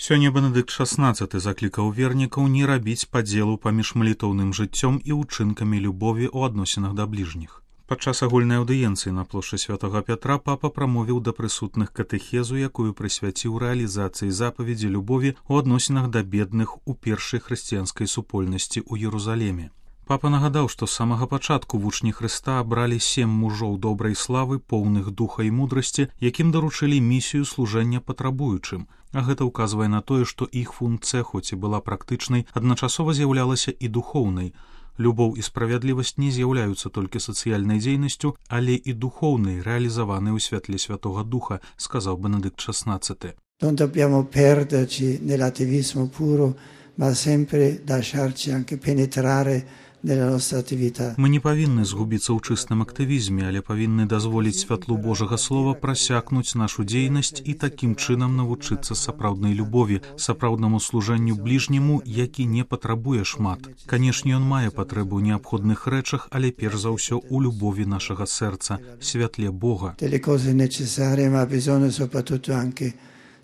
Сёння Бенедыкт XVI заклікаў вернікаў не рабіць падзелу паміж малітоўным жыццём і ўчынкамі любові ў адносінах да бліжніх. Падчас агульнай аўдыенцыі на плошчы Святога Пятра папа прамовіў да прысутных катэхезу, якую прысвяціў рэалізацыі запаведзі любові ў адносінах да бедных у першай хрысціянскай супольнасці ў Єрусалеме. Папа нагадаў, што з самага пачатку вучні Хрыста абралі 7 мужоў добрай славы, поўных духа і мудрасці, якім даручылі місію служэння патрабуючым. А гэта ўказвае на тое, што іх функцыя, хоць і была практычнай, адначасова з'яўлялася і духоўнай. Любоў і справядлівасць не з'яўляюцца толькі сацыяльнай дзейнасцю, але і духоўнай, рэалізаванай у святле Святога Духа, сказаў Бенедыкт XVI. Non dobbiamo perderci nell'attivismo puro, ma sempre lasciarci anche penetrare nella nostra attività. Мы не павінны згубіцца ў чыстым актывізме, але павінны дазволіць святлу Божага Слова прасякнуць нашу дзейнасць і такім чынам навучыцца сапраўднай любові, сапраўднаму служэнню бліжняму, які не патрабуе шмат. Канешне, ён мае патрэбу ў неабходных рэчах, але перш за ўсё у любові нашага сэрца, святле Бога. Delle cose necessarie, ma ha bisogno soprattutto anche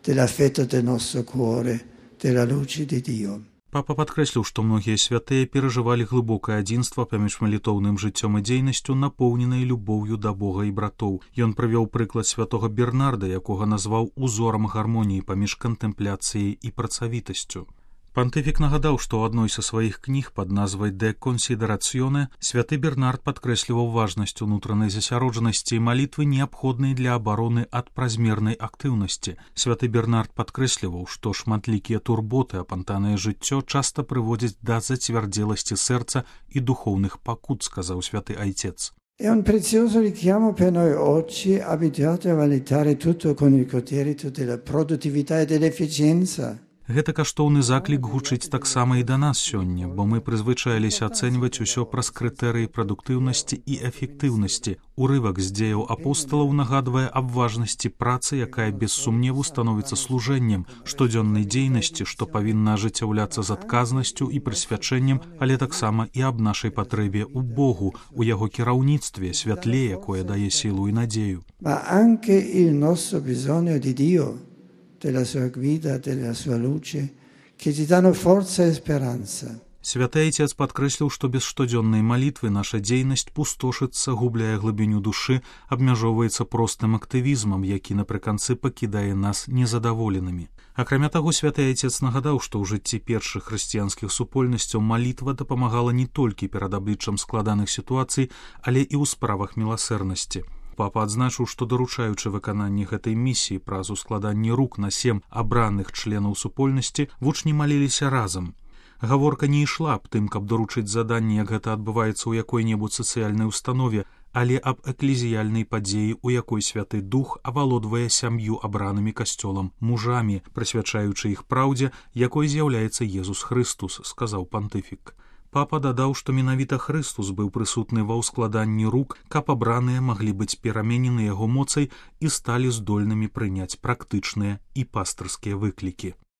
dell'affetto del nostro cuore, della luce di Dio. Папа падкрэсліў, што многія святыя перажывалі глыбокае адзінства паміж малітоўным жыццём і дзейнасцю, напоўненай любоўю да Бога і братоў. Ён прывёў прыклад святога Бернарда, якога назваў узорам гармоніі паміж кантэмпляцыяй і працавітасцю. Пантыфік нагадаў, што ў адной са сваіх кніг пад назвай «Де консідераціоне» святы Бернард падкрэсліваў важнасць унутранай засяроджанасці і малітвы, неабходнай для абароны ад празмернай актыўнасці. Святы Бернард падкрэсліваў, што шматлікія турботы, апантанае жыццё часта прыводзяць да зацвярдзеласці сэрца і духоўных пакут, сказаў святы айцец. È un prezioso richiamo per noi oggi, abituati a valutare tutto con il criterio della produttività e dell'efficienza. Гэта каштоўны заклік гучыць таксама і да нас сёння, бо мы прызвычаіліся ацэньваць усё праз крытэрыі прадуктыўнасці і эфектыўнасці. Урывак з дзеяў апосталаў нагадвае аб важнасці працы, якая без сумневу становіцца служэннем, штодзённай дзейнасці, што павінна ажыццяўляцца з адказнасцю і прысвячэннем, але таксама і аб нашай патрэбе ў Богу, у яго кіраўніцтве, святле, якое дае сілу і надзею. Ma anche il nostro bisogno di Dio, della sua guida, della sua luce, che ci danno forza e speranza. Святы айцец падкрэсліў, што без штодзённай малітвы наша дзейнасць пустошыцца, губляе глыбіню душы, абмяжоўваецца простым актывізмам, які напрыканцы пакідае нас незадаволенымі. Акрамя таго, святы айцец нагадаў, што ў жыцці першых хрысціянскіх супольнасцяў малітва дапамагала не толькі перад абліччам складаных сітуацый, але і ў справах міласэрнасці. Папа адзначыў, што даручаючы выкананне гэтай місіі праз ускладанне рук на 7 абраных членаў супольнасці, вучні маліліся разам. Гаворка не ішла аб тым, каб даручыць заданне, як гэта адбываецца ў якой-небудзь сацыяльнай установе, але аб эклезіяльнай падзеі, у якой святы дух авалодвае сям'ю абранымі касцёлам мужамі, прысвячаючы іх праўдзе, якой з'яўляецца Езус Хрыстус, сказаў пантыфік. Папа дадаў, што менавіта Хрыстус быў прысутны ва ўскладанні рук, каб абраныя маглі быць пераменены яго моцай і сталі здольнымі прыняць практычныя і пастырскія выклікі.